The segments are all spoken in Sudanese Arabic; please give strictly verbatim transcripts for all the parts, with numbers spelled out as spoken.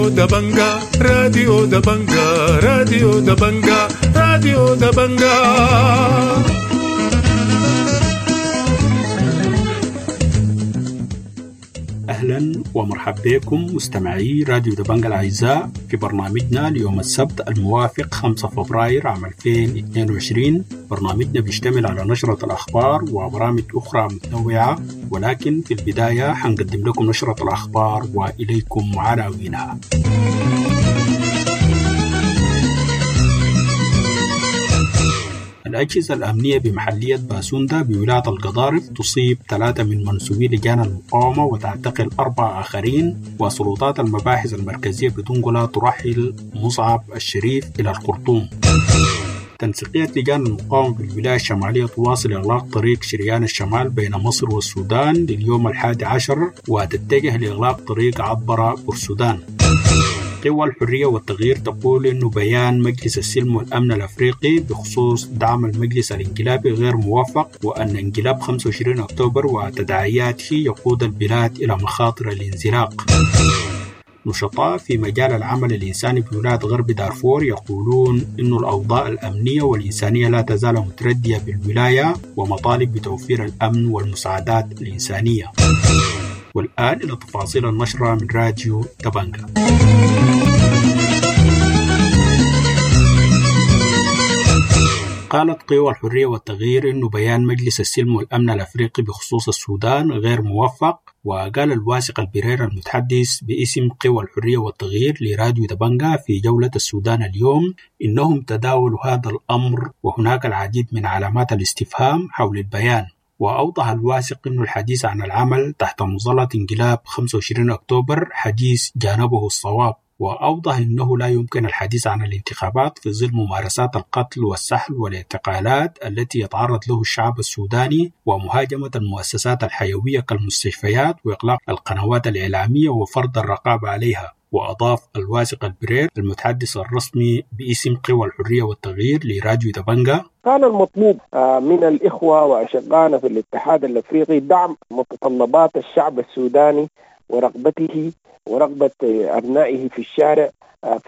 راديو دبنجا، راديو دبنجا، راديو دبنجا، راديو دبنجا. أهلا ومرحبا بكم مستمعي راديو دبنجا الأعزاء في برنامجنا ليوم السبت الموافق خمسة فبراير عام ألفين واثنين وعشرين. برنامجنا بيشتمل على نشرة الأخبار وبرامج أخرى متنوعة، ولكن في البداية حنقدم لكم نشرة الأخبار وإليكم عناوينها. الأجهزة الأمنية بمحلية باسوندا بولاية القضارف تصيب ثلاثة من منسوبي لجان المقاومة وتعتقل أربعة آخرين، وسلطات المباحث المركزية بدنقلة ترحل مصعب الشريف إلى الخرطوم. تنسيقية لجان المقاومة بالولاية الشمالية تواصل إغلاق طريق شريان الشمال بين مصر والسودان لليوم الحادي عشر وتتجه لإغلاق طريق عبر السودان. قوى الحرية والتغيير تقول إنه بيان مجلس السلم والأمن الأفريقي بخصوص دعم المجلس الانقلابي غير موفق، وأن انقلاب خمسة وعشرين أكتوبر وتداعياته يقود البلاد إلى مخاطر الانزلاق. نشطاء في مجال العمل الإنساني بولاية غرب دارفور يقولون إن الأوضاع الأمنية والإنسانية لا تزال متردية بالولاية، ومطالب بتوفير الأمن والمساعدات الإنسانية. والآن إلى تفاصيل النشرة من راديو دبنجا. قالت قوى الحرية والتغيير إنه بيان مجلس السلم والأمن الأفريقي بخصوص السودان غير موفق، وقال الواثق البرير المتحدث باسم قوى الحرية والتغيير لراديو دبنجا في جولة السودان اليوم إنهم تداولوا هذا الأمر وهناك العديد من علامات الاستفهام حول البيان. وأوضح الواثق أن الحديث عن العمل تحت مظلة انقلاب خمسة وعشرين أكتوبر حديث جانبه الصواب، وأوضح أنه لا يمكن الحديث عن الانتخابات في ظل ممارسات القتل والسحل والاعتقالات التي يتعرض له الشعب السوداني، ومهاجمة المؤسسات الحيوية كالمستشفيات وإغلاق القنوات الإعلامية وفرض الرقابة عليها. وأضاف الواثق البرير المتحدث الرسمي باسم قوى الحرية والتغيير لراديو دبنجا: كان المطلوب من الإخوة وأشقائنا في الاتحاد الأفريقي دعم متطلبات الشعب السوداني ورغبته ورغبة أبنائه في الشارع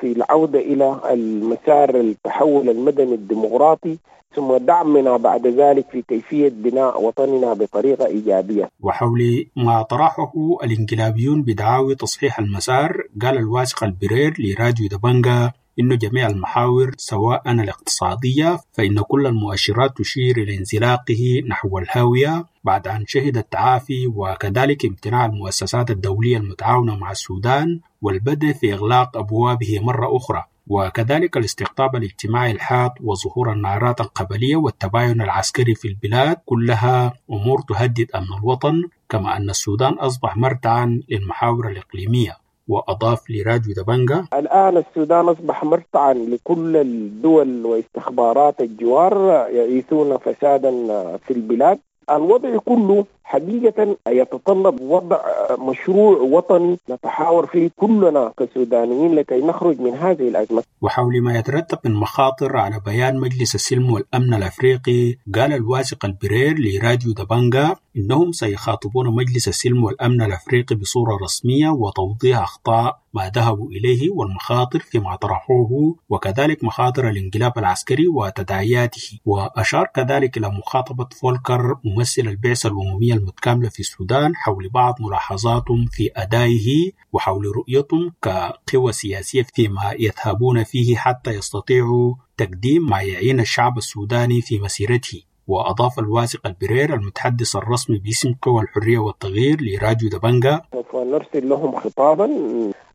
في العودة إلى المسار التحول المدني الديمقراطي، ثم دعمنا بعد ذلك في كيفية بناء وطننا بطريقة إيجابية. وحول ما طرحه الانقلابيون بدعاوي تصحيح المسار، قال الواثق البرير لراديو دبنجا إنه جميع المحاور سواء الاقتصادية فإن كل المؤشرات تشير إلى انزلاقه نحو الهاوية بعد أن شهد التعافي، وكذلك امتناع المؤسسات الدولية المتعاونة مع السودان والبدء في إغلاق أبوابه مرة أخرى، وكذلك الاستقطاب الاجتماعي الحاد وظهور النعرات القبلية والتباين العسكري في البلاد، كلها أمور تهدد أمن الوطن، كما أن السودان أصبح مرتعا للمحاور الإقليمية. وأضاف لراديو دبنجا: الآن السودان أصبح مرتعا لكل الدول واستخبارات الجوار يعيثون فسادا في البلاد. الوضع كله حقيقة يتطلب وضع مشروع وطني نتحاور فيه كلنا كسودانيين لكي نخرج من هذه الأزمة. وحول ما يترتب من مخاطر على بيان مجلس السلم والأمن الأفريقي، قال الواثق البرير لراديو دبنجا إنهم سيخاطبون مجلس السلم والأمن الأفريقي بصورة رسمية وتوضيح أخطاء ما ذهبوا إليه والمخاطر فيما طرحوه، وكذلك مخاطر الانقلاب العسكري وتداعياته. وأشار كذلك إلى مخاطبة فولكر ممثل البعثة الأممية المتكاملة في السودان حول بعض ملاحظاتهم في أدائه وحول رؤيتهم كقوى سياسية فيما يذهبون فيه حتى يستطيعوا تقديم ما يعين الشعب السوداني في مسيرته. وأضاف الواثق البرير المتحدث الرسمي باسم قوى الحرية والتغيير لراديو دبنجا: سوف نرسل لهم خطابا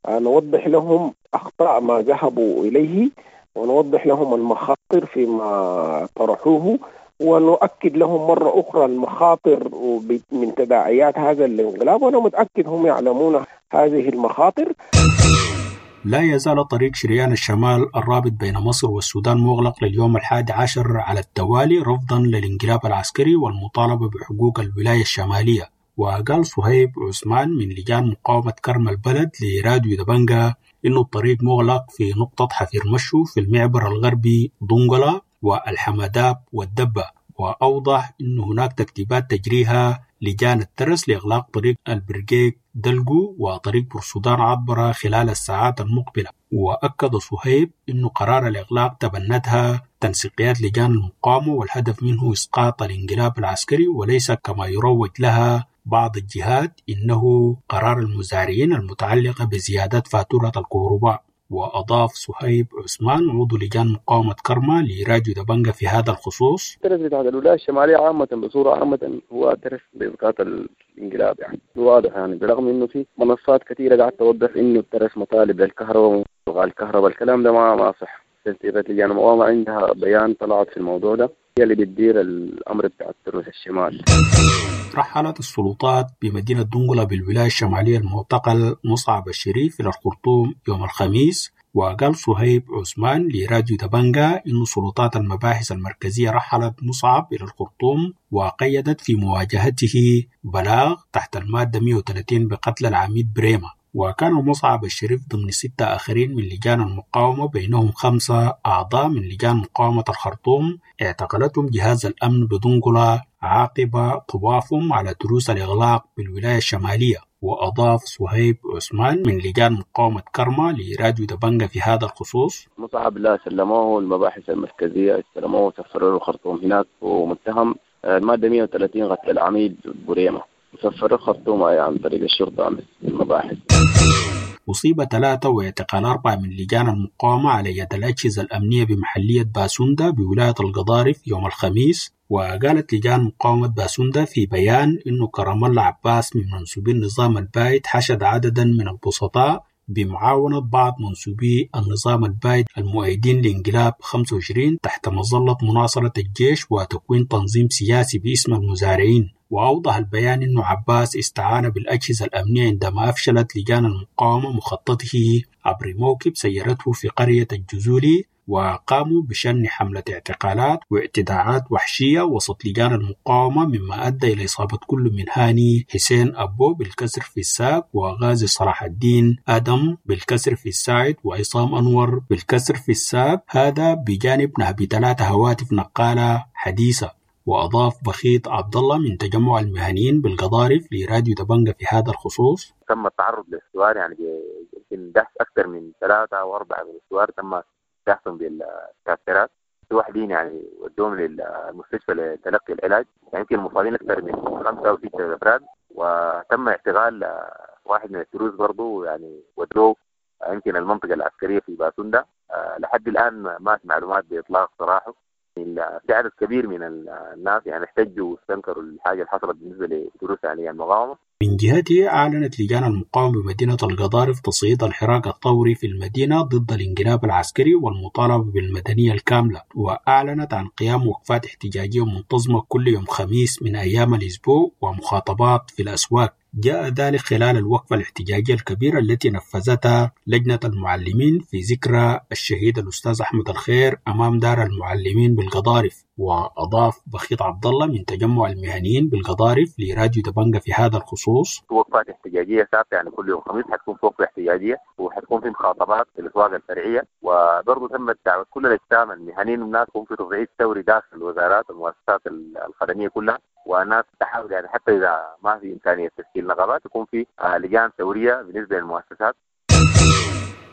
نوضح لهم أخطاء ما ذهبوا إليه، ونوضح لهم المخاطر فيما طرحوه، ونؤكد لهم مرة أخرى المخاطر من تداعيات هذا الانقلاب، وأنا متأكد هم يعلمون هذه المخاطر. لا يزال طريق شريان الشمال الرابط بين مصر والسودان مغلق لليوم الحادي عشر على التوالي رفضا للانقلاب العسكري والمطالبة بحقوق الولاية الشمالية. وقال صهيب عثمان من لجان مقاومة كرم البلد لراديو دبنجا إنه الطريق مغلق في نقطة حفير مشو في المعبر الغربي دنقلة والحمداب والدبة، وأوضح أن هناك ترتيبات تجريها لجان الترس لإغلاق طريق البرقيق دلقو وطريق بورسودان عطبرة خلال الساعات المقبلة. وأكد صهيب أن قرار الإغلاق تبنتها تنسيقيات لجان المقاومة، والهدف منه إسقاط الانقلاب العسكري وليس كما يروج لها بعض الجهات إنه قرار المزارعين المتعلقة بزيادة فاتورة الكهرباء. وأضاف صهيب عثمان عضو لجان مقاومة كرمة لراديو دبنجة في هذا الخصوص: الترس بتاع الولاية الشمالية عامة بصورة عامة هو ترس بإسقاط الانقلاب، يعني واضح، يعني برغم إنه في منصات كثيرة قاعدة توضح إنه الترس مطالب للكهرباء والكهرباء، الكلام ده ما ما صح. تنسيقات لجان المقاومة عندها بيان طلعت في الموضوع ده، هي اللي بتدير الأمر بتاع الترس الشمال. رحلت السلطات بمدينة دنقلة بالولاية الشمالية المعتقل مصعب الشريف إلى الخرطوم يوم الخميس. وقال صهيب عثمان لراديو دبنجة إن سلطات المباحث المركزية رحلت مصعب إلى الخرطوم وقيدت في مواجهته بلاغ تحت المادة مئة وثلاثين بقتل العميد بريمة. وكان مصعب الشريف ضمن ستة آخرين من لجان المقاومة، بينهم خمسة أعضاء من لجان مقاومة الخرطوم اعتقلتهم جهاز الأمن بدنقلة عقب طوافهم على تروس الإغلاق بالولاية الشمالية. وأضاف صهيب عثمان من لجان مقاومة كرمة لراديو دبنجة في هذا الخصوص: مصعب لا سلموه المباحث المركزية، استلموه وسفروه الخرطوم هناك، ومتهم المادة مئة وثلاثين قتل العميد بريمة، وسفروه الخرطوم عن طريق الشرطة المباحث. أصيب ثلاثة واعتقال أربعة من لجان المقاومة على يد الأجهزة الأمنية بمحلية باسوندا بولاية القضارف يوم الخميس. وقالت لجان مقاومة باسوندا في بيان إنه كرم الله عباس من منسوبي النظام البايد حشد عددا من البسطاء بمعاونة بعض منسوبي النظام البايد المؤيدين لانقلاب خمسة وعشرين تحت مظلة مناصرة الجيش وتكوين تنظيم سياسي باسم المزارعين. وأوضح البيان أن عباس استعان بالأجهزة الأمنية عندما أفشلت لجان المقاومة مخططه عبر موكب سيرته في قرية الجزولي، وقاموا بشن حملة اعتقالات واعتداءات وحشية وسط لجان المقاومة، مما أدى إلى إصابة كل من هاني حسين أبو بالكسر في الساق، وغازي صلاح الدين آدم بالكسر في الساعد، وعصام أنور بالكسر في الساق، هذا بجانب نهب ثلاثة هواتف نقالة حديثة. وأضاف بخيت عبد الله من تجمع المهنيين بالقضارف لراديو دبنجة في هذا الخصوص: تم التعرض للسوار، يعني يمكن دهس أكثر من ثلاثة أو أربعة من السوار تم دهسهم بالكاسرات، في واحدين يعني ودوهم للمستشفى لتلقي العلاج، يعني يمكن المصابين أكثر من خمسة أو ستة أفراد، وتم اعتقال واحد من التروس برضه يعني ودوه يمكن المنطقة العسكرية في باسوندا. لحد الآن ما في معلومات بإطلاق سراحه. في عدد كبير من الناس يعني احتجوا واستنكروا الحاجة اللي حصلت بالنسبة لدروس يعني المقاومة. من جهته أعلنت لجان المقاومة بمدينة القضارف تصعيد الحراك الثوري في المدينة ضد الانقلاب العسكري والمطالبة بالمدنية الكاملة، وأعلنت عن قيام وقفات احتجاجية منتظمة كل يوم خميس من أيام الأسبوع ومخاطبات في الأسواق. جاء ذلك خلال الوقفة الاحتجاجية الكبيرة التي نفذتها لجنة المعلمين في ذكرى الشهيد الأستاذ أحمد الخير أمام دار المعلمين بالقضارف. وأضاف بخيت عبد الله من تجمع المهنيين بالقضارف لراديو دبنجة في هذا الخصوص: وقفات احتجاجية ثابتة، يعني كل يوم خميس حتكون في وقفة احتجاجية، وحتكون في مخاطبات في الأسواق الفرعية، وبرضه تمت دعوة كل الأجسام المهنيين والناس يكون في تصعيد ثوري داخل الوزارات والمؤسسات الخدمية كلها، والناس تحاول يعني حتى إذا ما في إمكانية تشكيل نقابات يكون في لجان ثورية بالنسبة للمؤسسات.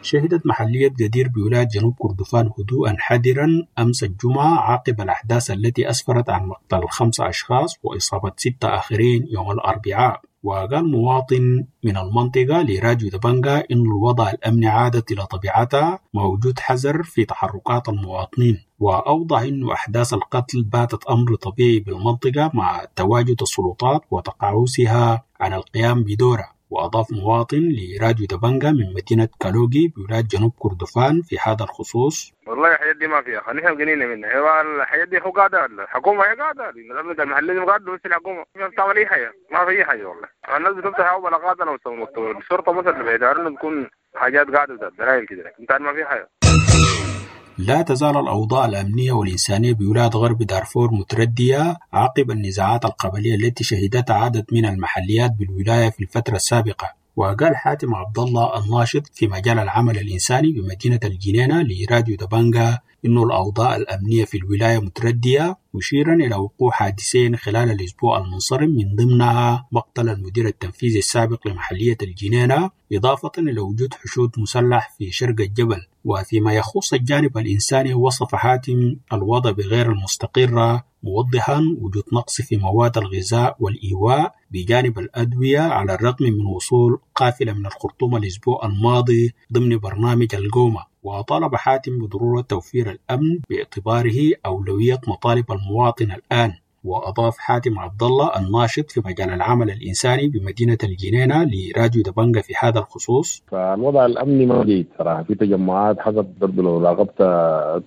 شهدت محلية جدير بولاية جنوب كردفان هدوءا حذرا أمس الجمعة عقب الأحداث التي أسفرت عن مقتل خمسة أشخاص وإصابة ستة آخرين يوم الأربعاء. وقال مواطن من المنطقة لراديو دبنجة إن الوضع الأمني عادت إلى طبيعتها مع وجود حذر في تحركات المواطنين، وأوضح أن أحداث القتل باتت أمر طبيعي بالمنطقة مع تواجد السلطات وتقاعسها عن القيام بدورها. وأضاف مواطن لراديو دبنجة من مدينة كالوغي بولاية جنوب كردفان في هذا الخصوص: والله الحاجات دي ما فيها، خلينا قليلة منها، هي الحاجات دي هو قاعدة، الحكومة هي قاعدة، النظام المحلي قاعدة، بس الحكومة ما بتعمل أي حاجة، ما في أي حاجة والله. الناس بتفتح بلاغات الشرطة مثلا بيدارنا بتكون حاجات قاعدة دلائل كده، لكن ما في حاجة. لا تزال الأوضاع الأمنية والإنسانية بولاية غرب دارفور متردية عقب النزاعات القبلية التي شهدتها عدد من المحليات بالولاية في الفترة السابقة. وقال حاتم عبد الله الناشط في مجال العمل الإنساني بمدينة الجنينة لراديو دبنجة أن الأوضاع الأمنية في الولاية متردية، مشيرا إلى وقوع حادثين خلال الأسبوع المنصرم من ضمنها مقتل المدير التنفيذي السابق لمحلية الجنينة، إضافة إلى وجود حشود مسلح في شرق الجبل. وفيما يخص الجانب الإنساني، وصف حاتم الوضع بغير المستقرة، موضحا وجود نقص في مواد الغذاء والإيواء بجانب الأدوية، على الرغم من وصول قافلة من الخرطوم الأسبوع الماضي ضمن برنامج القومة. وطالب حاتم بضرورة توفير الأمن باعتباره أولوية مطالب المواطن الآن. وأضاف حاتم عبد الله الناشط في مجال العمل الإنساني بمدينة الجنينة لراديو دبنجة في هذا الخصوص: فالوضع الأمني ما جيد صراحة، في تجمعات حسب برضه لو راقبت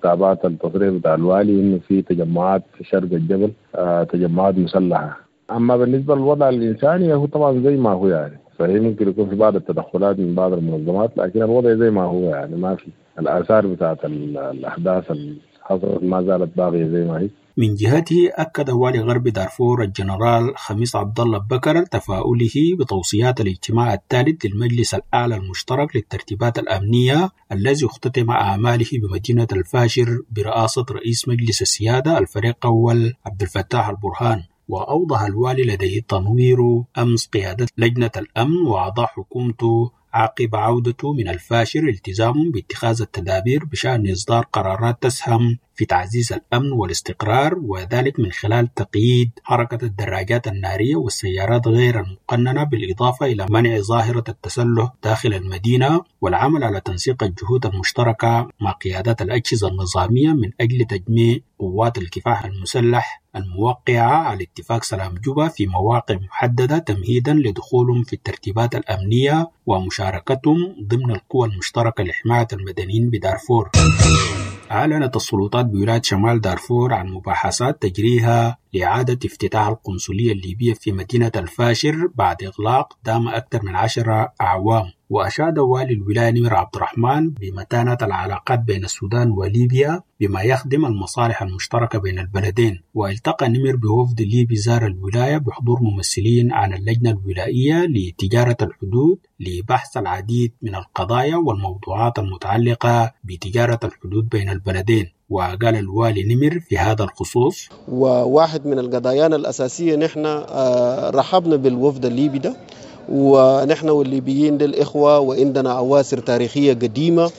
تابعت التصريح بتاع الوالي إنه في تجمعات في شرق الجبل، آه تجمعات مسلحة. أما بالنسبة للوضع الإنساني هو طبعا زي ما هو يعني، صحيح ممكن يكون في بعض التدخلات من بعض المنظمات، لكن الوضع زي ما هو يعني، ما في الآثار بتاعت الأحداث اللي حصلت ما زالت باقية زي ما هي. من جهته أكد والي غرب دارفور الجنرال خميس عبد الله بكر تفاؤله بتوصيات الاجتماع الثالث للمجلس الأعلى المشترك للترتيبات الأمنية الذي اختتم أعماله بمدينة الفاشر برئاسة رئيس مجلس السيادة الفريق أول عبد الفتاح البرهان. وأوضح الوالي لديه تنوير أمس قيادة لجنة الأمن وأعضاء حكومته عقب عودته من الفاشر التزام باتخاذ التدابير بشأن إصدار قرارات تسهم في تعزيز الأمن والاستقرار، وذلك من خلال تقييد حركة الدراجات النارية والسيارات غير المقننة، بالإضافة إلى منع ظاهرة التسلح داخل المدينة، والعمل على تنسيق الجهود المشتركة مع قيادات الأجهزة النظامية من أجل تجميع قوات الكفاح المسلح الموقعة على اتفاق سلام جوبا في مواقع محددة تمهيدا لدخولهم في الترتيبات الأمنية ومشاركتهم ضمن القوى المشتركة لحماية المدنيين بدارفور. أعلنت السلطات بولاية شمال دارفور عن مباحثات تجريها لإعادة افتتاح القنصلية الليبية في مدينة الفاشر بعد إغلاق دام أكثر من عشرة أعوام. وأشاد والي الولاية نمر عبد الرحمن بمتانة العلاقات بين السودان وليبيا بما يخدم المصالح المشتركة بين البلدين. والتقى نمر بوفد ليبي زار الولاية بحضور ممثلين عن اللجنة الولائية لتجارة الحدود لبحث العديد من القضايا والموضوعات المتعلقة بتجارة الحدود بين البلدين. وقال الوالي نمر في هذا الخصوص: وواحد من القضايا الأساسية نحن رحبنا بالوفد الليبي ده، ونحن والليبيين للإخوة وعندنا أواسر تاريخية قديمة،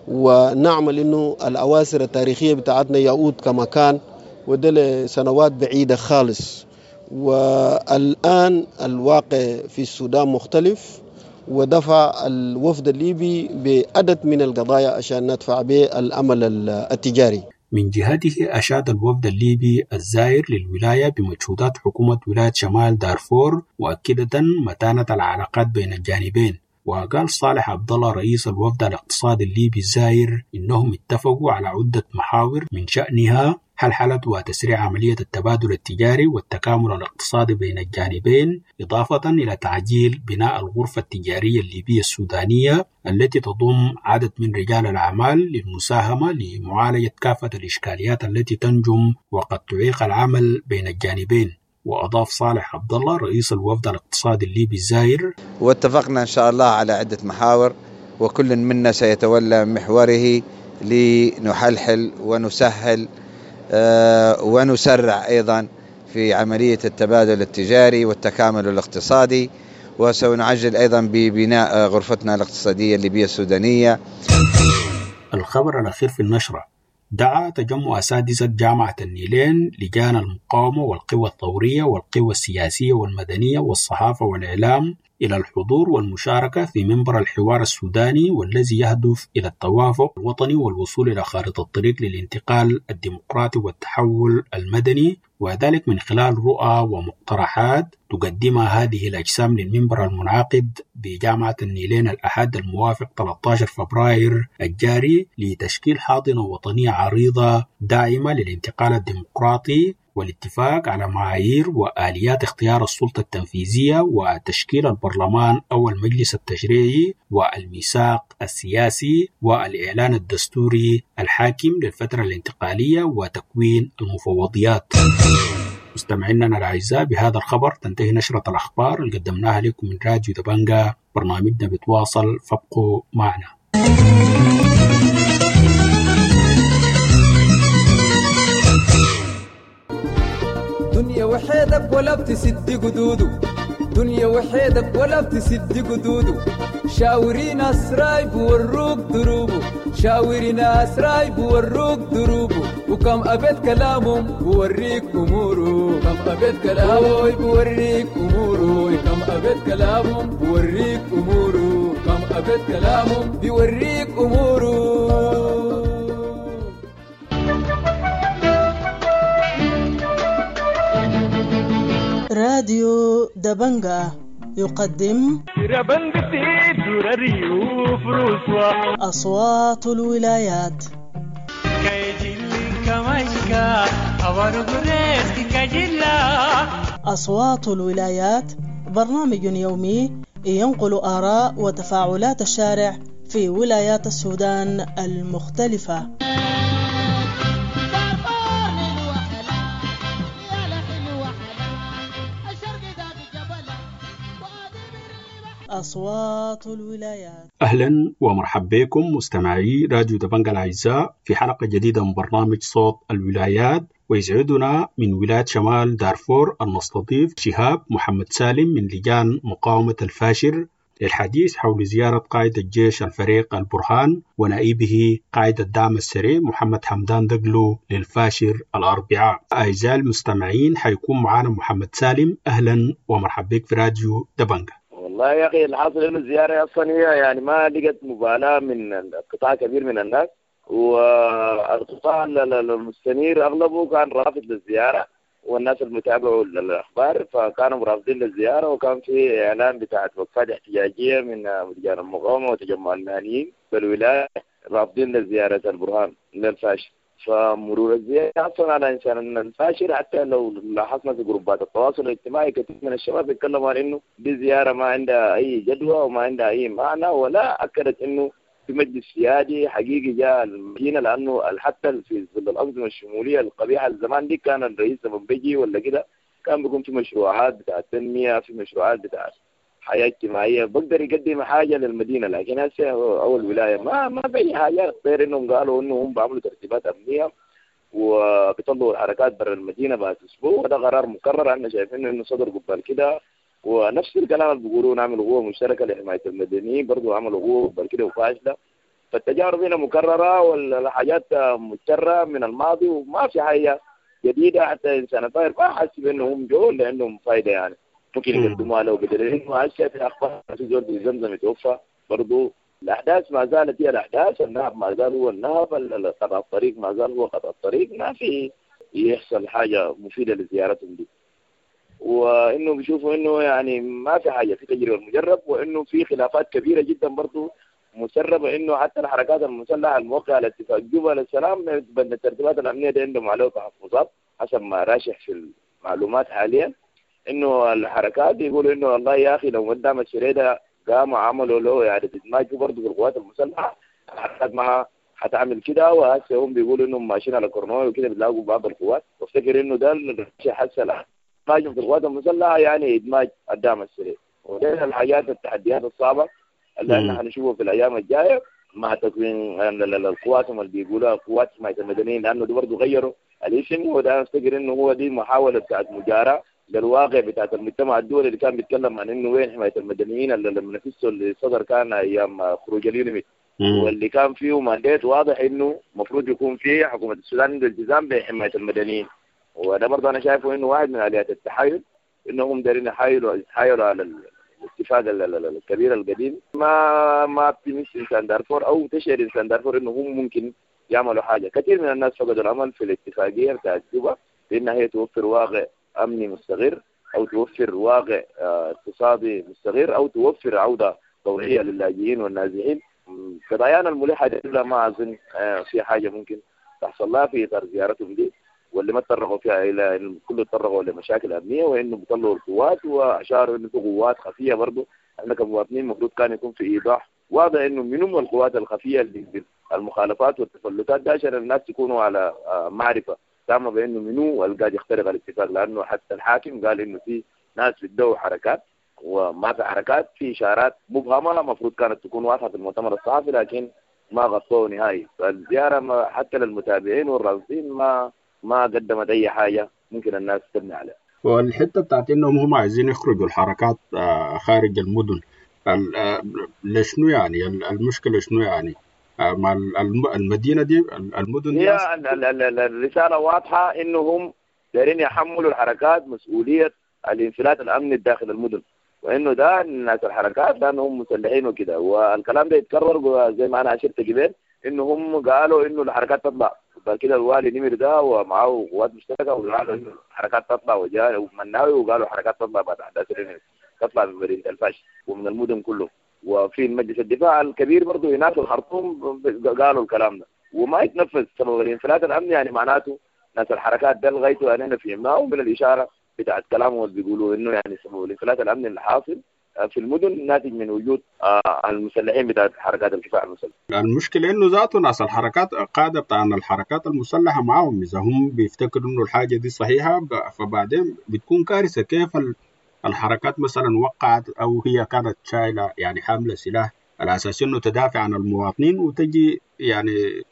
ونعمل إنه الأواسر التاريخية بتاعتنا يعود كما كان، وده لسنوات بعيدة خالص. والآن الواقع في السودان مختلف، ودفع الوفد الليبي بعدد من القضايا عشان ندفع به الأمل التجاري. من جهته أشاد الوفد الليبي الزائر للولاية بمجهودات حكومة ولاية شمال دارفور، مؤكدة متانة العلاقات بين الجانبين. وقال صالح عبد الله رئيس الوفد الاقتصادي الليبي الزائر إنهم اتفقوا على عدة محاور من شأنها حلحلة وتسريع عملية التبادل التجاري والتكامل الاقتصادي بين الجانبين، إضافة إلى تعجيل بناء الغرفة التجارية الليبية السودانية التي تضم عدد من رجال الأعمال للمساهمة لمعالجة كافة الإشكاليات التي تنجم وقد تعيق العمل بين الجانبين. وأضاف صالح عبد الله رئيس الوفد الاقتصادي الليبي الزائر: واتفقنا إن شاء الله على عدة محاور، وكل منا سيتولى محوره لنحلحل ونسهل ونسرع أيضا في عملية التبادل التجاري والتكامل الاقتصادي، وسنعجل أيضا ببناء غرفتنا الاقتصادية الليبية السودانية. الخبر الأخير في النشرة: دعا تجمع أساتذة جامعة النيلين لجان المقاومة والقوى الثورية والقوى السياسية والمدنية والصحافة والإعلام إلى الحضور والمشاركة في منبر الحوار السوداني، والذي يهدف إلى التوافق الوطني والوصول إلى خارطة الطريق للانتقال الديمقراطي والتحول المدني، وذلك من خلال رؤى ومقترحات تقدمها هذه الأجسام للمنبر المنعقد بجامعة النيلين الأحد الموافق ثلاثة عشر فبراير الجاري لتشكيل حاضنة وطنية عريضة داعمة للانتقال الديمقراطي والاتفاق على معايير وآليات اختيار السلطة التنفيذية وتشكيل البرلمان أو المجلس التشريعي والميثاق السياسي والإعلان الدستوري الحاكم للفترة الانتقالية وتكوين المفوضيات. مستمعينا الأعزاء، بهذا الخبر تنتهي نشرة الأخبار اللي قدمناها لكم من راديو دبنجا. برنامجنا بيتواصل، فابقوا معنا. دنيا وحيدك ولا بتسد قدوده، دنيا وحيدك ولا بتسد قدوده، شاوري ناس رايب وروك دروبه، شاوري ناس رايب وروك دروبه، وكم أبيت كلامهم بوريك أموره، كم أبيت كلامه بوريك أموره، كم أبيت كلامهم بوريك أموره، كم أبيت كلامهم بيوريك أموره. راديو دبنجا يقدم أصوات الولايات. أصوات الولايات برنامج يومي ينقل آراء وتفاعلات الشارع في ولايات السودان المختلفة. أصوات الولايات. أهلا ومرحبا بكم مستمعي راديو دبنجا الأعزاء في حلقة جديدة من برنامج صوت الولايات، ويسعدنا من ولاية شمال دارفور أن نستضيف شهاب محمد سالم من لجان مقاومة الفاشر للحديث حول زيارة قائد الجيش الفريق البرهان ونائبه قائد الدعم السريع محمد حمدان دقلو للفاشر الأربعاء. أعزائي المستمعين حيكون معنا محمد سالم، أهلا ومرحبا بك في راديو دبنجا. والله يا أخي الحاصل إنه الزيارة أصلا هي يعني ما لقت مبالاة من قطاع كبير من الناس، والقطاع المستنير أغلبه كان رافض للزيارة، والناس المتابعوا للأخبار فكانوا رافضين للزيارة، وكان في إعلان بتاعت وقفات احتجاجية من لجان المقاومة وتجمع المهنيين بالولاية رافضين لزيارة البرهان للفاشر. فمرور الزيارة أصلا على إنسان الفاشر، حتى لو لاحظنا في جروبات التواصل الاجتماعي كثير من الشباب يتكلموا عن إنه دي زيارة ما عندها أي جدوى وما عندها أي معنى، ولا أكدت إنه في مجلس سيادي حقيقي جاء المدينة، لأنه حتى في ظل الأنظمة الشمولية القبيحة الزمان دي كان الرئيس لما بيجي ولا كده كان بيكون في مشروعات بتاع التنمية، في مشروعات بتاع حياة اجتماعية، بقدر يقدم حاجة للمدينة. لكن هسه أول ولاية ما ما في أي حاجة غير إنهم قالوا إنه هم بيعملوا ترتيبات أمنية وبيطلعوا الحركات برا المدينة بعد أسبوع، وده قرار مكرر احنا شايفينه إنه صدر قبل كده، ونفس الكلام اللي بيقولوه نعمل قوة مشتركة لحماية المدنيين برضه عملوا قوة قبل كده وفاشلة. فالتجارب هنا مكررة والحاجات مكررة من الماضي وما في حاجة جديدة. حتى إنسان الفاير ما حس بإنه هم جو لأنهم فايدة يعني ممكن يقدموها لو بدل انه هسه في اخبار في زول في زمزم يتوفى برضه. الاحداث ما زالت هي الاحداث، النهب ما زال هو النهب، قطع الطريق ما زال هو قطع الطريق، ما في يحصل حاجة مفيدة لزيارتهم دي. وانه بيشوفوا انه يعني ما في حاجة في تجربه مجرب، وانه في خلافات كبيرة جدا برضه مسربه، انه حتى الحركات المسلحة الموقعة على اتفاق جوبا للسلام الترتيبات الامنية دي عندهم عليه تحفظات حسب ما راشح في المعلومات حاليا. انه الحركات يقولوا انه والله يا اخي لو قدام الشريده قاموا عملوا له اعاده ادماج برضه في القوات المسلحة الحركات ما حتعمل كده، وهسه هم بيقولوا انهم ماشيين على كورنوي وكده بيلاقوا بعض القوات. وافتكر انه ده الشيء حسه ادماجهم في القوات المسلحة يعني ادماج الدعم السريع. وده الحاجات التحديات الصعبة اللي احنا حنشوفها في الايام الجاية مع تكوين القوات اللي بيقولوها قوات حماية المدنيين، لانه دي برضه غيروا الاسم، وده افتكر انه هو دي محاولة بتاعت مجاراه للواقع بتاعت المجتمع الدولي اللي كان بيتكلم عن انه وين حماية المدنيين اللي لما نفسه اللي صدر كان ايام خروج اليونيميد، واللي كان فيه mandate واضح انه المفروض يكون فيه حكومة السودان عنده التزام بحمايه المدنيين. وده برضه انا شايفه انه واحد من اليات التحايل، انهم دايرين يحايلوا يتحايلوا على الاتفاق الكبير القديم. ما ما بتمس انسان دارفور او تشعر انسان دارفور انه هم ممكن يعملوا حاجة. كثير من الناس فقدوا الامل في الاتفاقية بتاعت جوبا بانها هي توفر واقع امني مستقر، او توفر واقع اقتصادي مستقر، او توفر عوده طوعيه للاجئين والنازحين. قضايانا الملحة دي ما اظن في حاجة ممكن تحصل لها في اطار زيارتهم دي، واللي ما تطرقوا فيها الى كله تطرقوا لمشاكل امنية، وانه بيطلعوا القوات واشاروا انه في قوات خفيه برضه. احنا كمواطنين المفروض كان يكون في ايضاح واضح انه من هم القوات الخفية اللي المخالفات والتفلتات ده، عشان الناس يكونوا على معرفة تامة بانه منو اللي قاعد يخترق الاتفاق. لانه حتى الحاكم قال انه في ناس بتدوا حركات وما في حركات، في اشارات مبهمة المفروض كانت تكون واضحة في المؤتمر الصحفي لكن ما غطوه نهائي. فالزياره ما حتى للمتابعين والراصدين ما ما قدمت اي حاجة ممكن الناس تبني عليها. والحتة بتاعت انهم هم عايزين يخرجوا الحركات خارج المدن لشنو يعني؟ المشكلة شنو يعني؟ مع المدينة دي المدن دي هي الرسالة واضحة انهم دايرين يحملوا الحركات مسؤولية الانفلات الامني داخل المدن، وانه ده الناس الحركات لانهم مسلحين وكده. والكلام ده يتكرر زي ما انا اشرت قبل انه هم قالوا انه الحركات تطلع، بعد كده الوالي نمر ده ومعه قوات مشتركة وقالوا انه الحركات تطلع، وجاء ومناوي وقالوا الحركات تطلع بعد احداث الرمز تطلع من مدينة الفاش ومن المدن كله. وفي مجلس الدفاع الكبير برضه هناك في الخرطوم قالوا الكلام ده وما يتنفذ. سبب الانفلات الامني يعني معناته ناس الحركات ده لغايته انا فهمناه من الاشارة بتاعت كلامهم اللي بيقولوا انه يعني سبب الانفلات الامني اللي حاصل في المدن ناتج من وجود المسلحين بتاعت حركات الكفاح المسلح. المشكلة انه ذاته ناس الحركات قاده بتاع الحركات المسلحة معاهم، اذا هم بيفتكروا انه الحاجة دي صحيحه فبعدين بتكون كارثة. كيف الحركات مثلا وقعت او هي كانت شايله يعني حامله سلاح على اساس انه تدافع عن المواطنين، وتجي يعني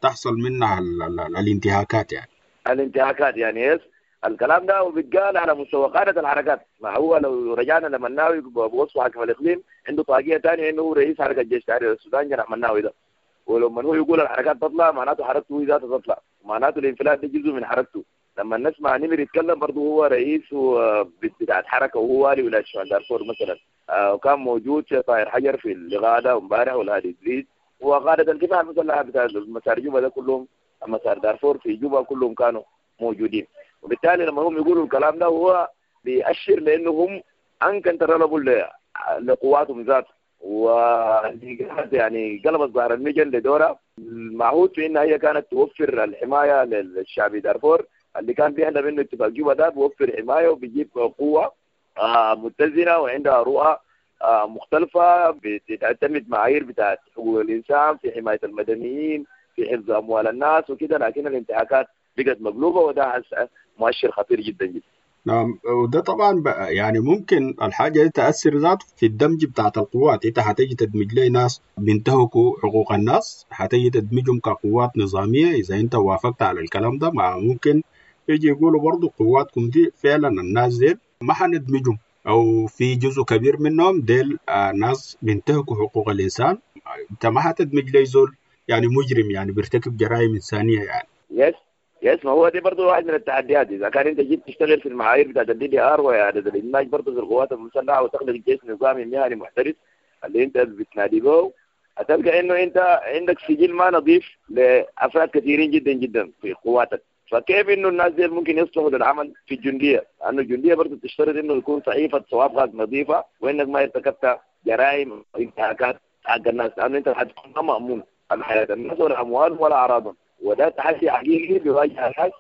تحصل منها ال ال الانتهاكات يعني الانتهاكات يعني yes الكلام ده وبيتقال على مستوى قادة الحركات. ما هو لو رجعنا لمناوي بوصفه حاكم الاقليم عنده طاقية ثانية انه هو رئيس حركة جيش تحرير السودان جناح مناوي ده، ولما هو يقول الحركات تطلع معناته حركته هو ذاتها تطلع، معناته الانفلات ده جزء من حركته. لما نسمع نمر يتكلم برضه هو رئيس بتاعت حركة وهو والي ولاية شمال دارفور مثلا، آه وكان موجود طاهر حجر في اللقاء ده امبارح والهادي ادريس وقادة الكفاح المسلحة بتاع مسار جوبا ده كلهم، مسار دارفور في جوبا كلهم كانوا موجودين. وبالتالي لما هم يقولوا الكلام ده هو بيأشر لانه هم uncontrollable لقواتهم ذات، و يعني قلبت ظهر المجن لدورها المعهود في انها هي كانت توفر الحماية للشعب دارفور اللي كان بيحلم انه اتفاق جوبا ده بيوفر حماية وبيجيب قوة متزنة وعندها رؤى مختلفة بتعتمد معايير بتاعت حقوق الانسان في حماية المدنيين في حفظ اموال الناس وكده. لكن الانتهاكات بقت مقلوبة وده مؤشر خطير جدا جدا. نعم، وده طبعا بقى يعني ممكن الحاجة دي تاثر ذاته في الدمج بتاعت القوات. انت حتيجي تدمج لي ناس بينتهكوا حقوق الناس، حتيجي تدمجهم كقوات نظامية. اذا انت وافقت على الكلام ده ما ممكن يجي يقولوا برضو قواتكم دي فعلا الناس دي ما حندمجهم، او في جزء كبير منهم ديل آه ناس بينتهكوا حقوق الانسان. انت ما حتدمج لي زول يعني مجرم يعني بيرتكب جرائم انسانيه يعني. yes yes ما هو دي برضه واحد من التحديات. اذا كان انت جيت تشتغل في المعايير بتاعت ال DDR واعاده الادماج برضه في القوات المسلحة وتخلق جيش نظامي مهني محترف اللي انت بتنادي به، هتلقى انه انت عندك سجل ما نظيف لافراد كثيرين جدا جدا في قواتك. فكيف انه الناس دي ممكن يصلحوا للعمل في الجندية؟ لانه الجندية برضه تشترط انه يكون صحيفة سوابقك نظيفة وانك ما ارتكبت جرائم وانتهاكات حق الناس، لانه انت حتكون ما مامون على حياة الناس ولا اموالهم ولا اعراضهم. وده تحدي حقيقي بيواجه الناس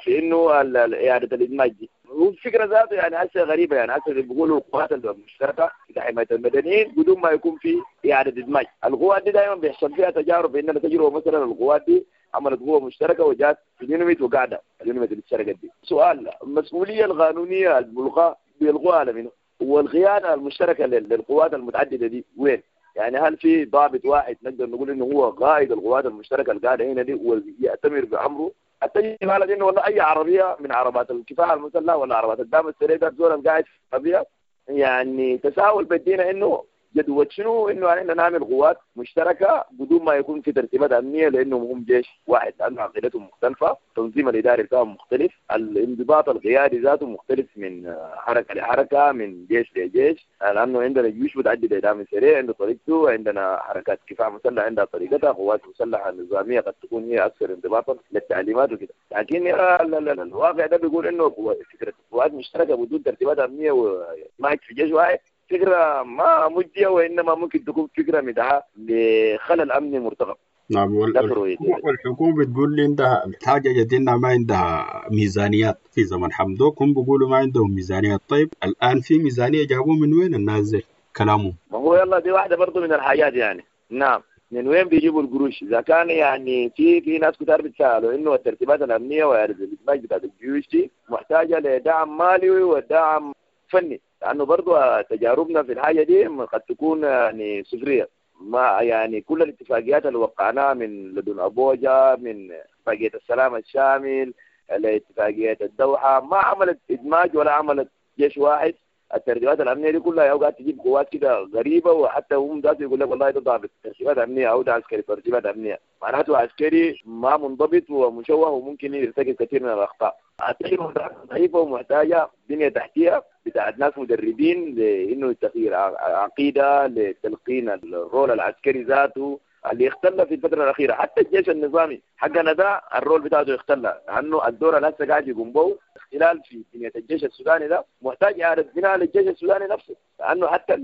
في انه اعاده الادماج دي. والفكرة ذاته يعني هسه غريبة، يعني هسه اللي بيقولوا القوات المشتركة في حماية المدنيين بدون ما يكون في اعاده ادماج. القوات دي دائما بيحصل فيها تجارب، عندنا تجربه مثلا القوات دي عملت قوة مشتركة وجات في اليونميت وقاعدة اليونميت اللي اتشركت دي. سؤال، المسؤولية القانونية الملقاه بيلقوها على منه؟ والقيادة المشتركة للقوات المتعددة دي وين؟ يعني هل في ضابط واحد نقدر نقول انه هو قائد القوات المشتركة القاعدة هنا دي ويأتمر بامره؟ حتى يجي انه والله اي عربية من عربات الكفاح المسلح ولا عربات الدعم السريع ده زول قاعد في العربية. يعني تساؤل بدينا انه جدوى شنو انه احنا نعمل قوات مشتركة بدون ما يكون في ترتيبات امنية، لانهم هم جيش واحد، لانه عقيدتهم مختلفة، التنظيم الاداري بتاعهم مختلف، الانضباط القيادي ذاته مختلف من حركة لحركة، من جيش لجيش، لانه عندنا جيوش متعددة، دعم سريع عنده طريقته، عندنا حركات كفاح مسلح عندها طريقتها، قوات مسلحة نظامية قد تكون هي اكثر انضباطا للتعليمات وكده. لكن الواقع ده بيقول انه فكرة قوات مشتركة بدون ترتيبات امنية وما في جيش واحد فكرة ما مجدية، وإنما ممكن تكون فكرة مدعاة لخلل أمني مرتقب. نعم، والحكومة بتقول لي عندها الحاجة جديدة ما عندها ميزانيات. في زمن حمدوك هم بيقولوا ما عندهم ميزانيات. طيب الآن في ميزانية جابوه من وين الناس كلامهم؟ ما هو يلا دي واحدة برضو من الحاجات يعني. نعم، من وين بيجيبوا القروش؟ إذا كان يعني في في ناس كتار بتسألوا إنه الترتيبات الأمنية والإدماج بتاعت الجيوش دي محتاجة لدعم مالي ودعم فني، لأنه برضو تجاربنا في الحاجة دي قد تكون يعني صفرية. ما يعني كل الاتفاقيات اللي وقعناها من لدن أبوجا، من اتفاقية السلام الشامل، لاتفاقية الدوحة، ما عملت إدماج ولا عملت جيش واحد. الترتيبات الأمنية دي كلها قاعد تجيب قوات كده غريبة، وحتى هم ذاته يقول لك والله ده ضابط ترتيبات أمنية أو ده عسكري ترتيبات أمنية، معناته عسكري ما منضبط ومشوه وممكن يرتكب كثير من الأخطاء. التجربة ضعيفة ومحتاجة بنية تحتية بتاعت ناس مدربين لإنه تغيير عقيدة، لتلقين الرول العسكري ذاته اللي اختل في الفترة الأخيرة. حتى الجيش النظامي حقنا ده الرول بتاعته اختل، لأنه الدور اللي هسه قاعد يقوم به اختلال في بنية الجيش السوداني ده محتاج إعادة بناء للجيش السوداني نفسه، لأنه حتى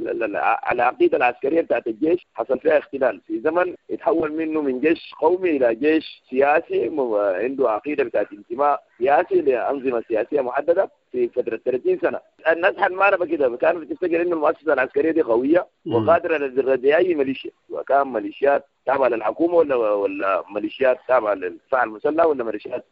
العقيدة العسكرية بتاعت الجيش حصل فيها اختلال في زمن يتحول منه من جيش قومي إلى جيش سياسي عنده عقيدة بتاعت انتماء سياسي لأنظمة سياسية محددة في فترة ثلاثين سنة. الناس حنمانة كده كانوا بتفتكر إنه المؤسسة العسكرية دي قوية وقادرة للرد أي ميليشيا، وكان ميليشيات تابعة للحكومة ولا ولا ميليشيات تابعة للدفاع المسلح ولا ميليشيات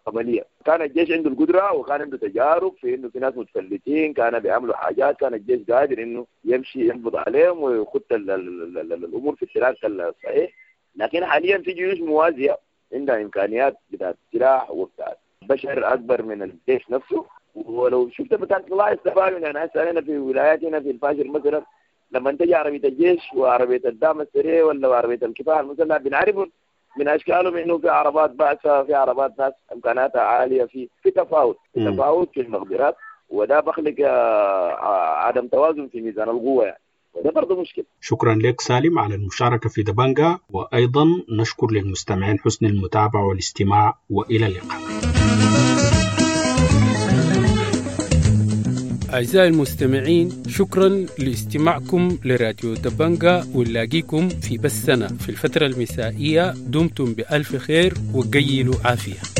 قبلية. كان الجيش عنده القدرة وكان عنده تجارب في إنه في ناس متفلتين كانوا بيعملوا حاجات، كان الجيش قادر إنه يمشي ينبض عليهم ويخط الأمور في ال track الصحيح. لكن حاليا في جيوش موازية عندها إمكانيات بتاعت سلاح وبتاعت بشر أكبر من الجيش نفسه. ولو شفت بتاعت الله استفادوا يعني هسه هنا في ولايات هنا في الفاشر مثلا لما تجي عربية الجيش وعربية الدعم السريع ولا عربية الكفاح المسلح بنعرفهم من أشكالهم إنه في عربات بأسة، في عربات ناس إمكاناتها عالية، في في تفاوت في تفاوت في المقدرات، وده بخلق عدم توازن في ميزان القوة يعني. وده برضه مشكلة. شكرا لك سالم على المشاركة في دبنجة، وأيضا نشكر للمستمعين حسن المتابعة والاستماع، وإلى اللقاء. أعزائي المستمعين، شكرا لاستماعكم لراديو دبنجة، ونلاقيكم في بثنا في الفترة المسائية. دمتم بألف خير وقيلوا عافية.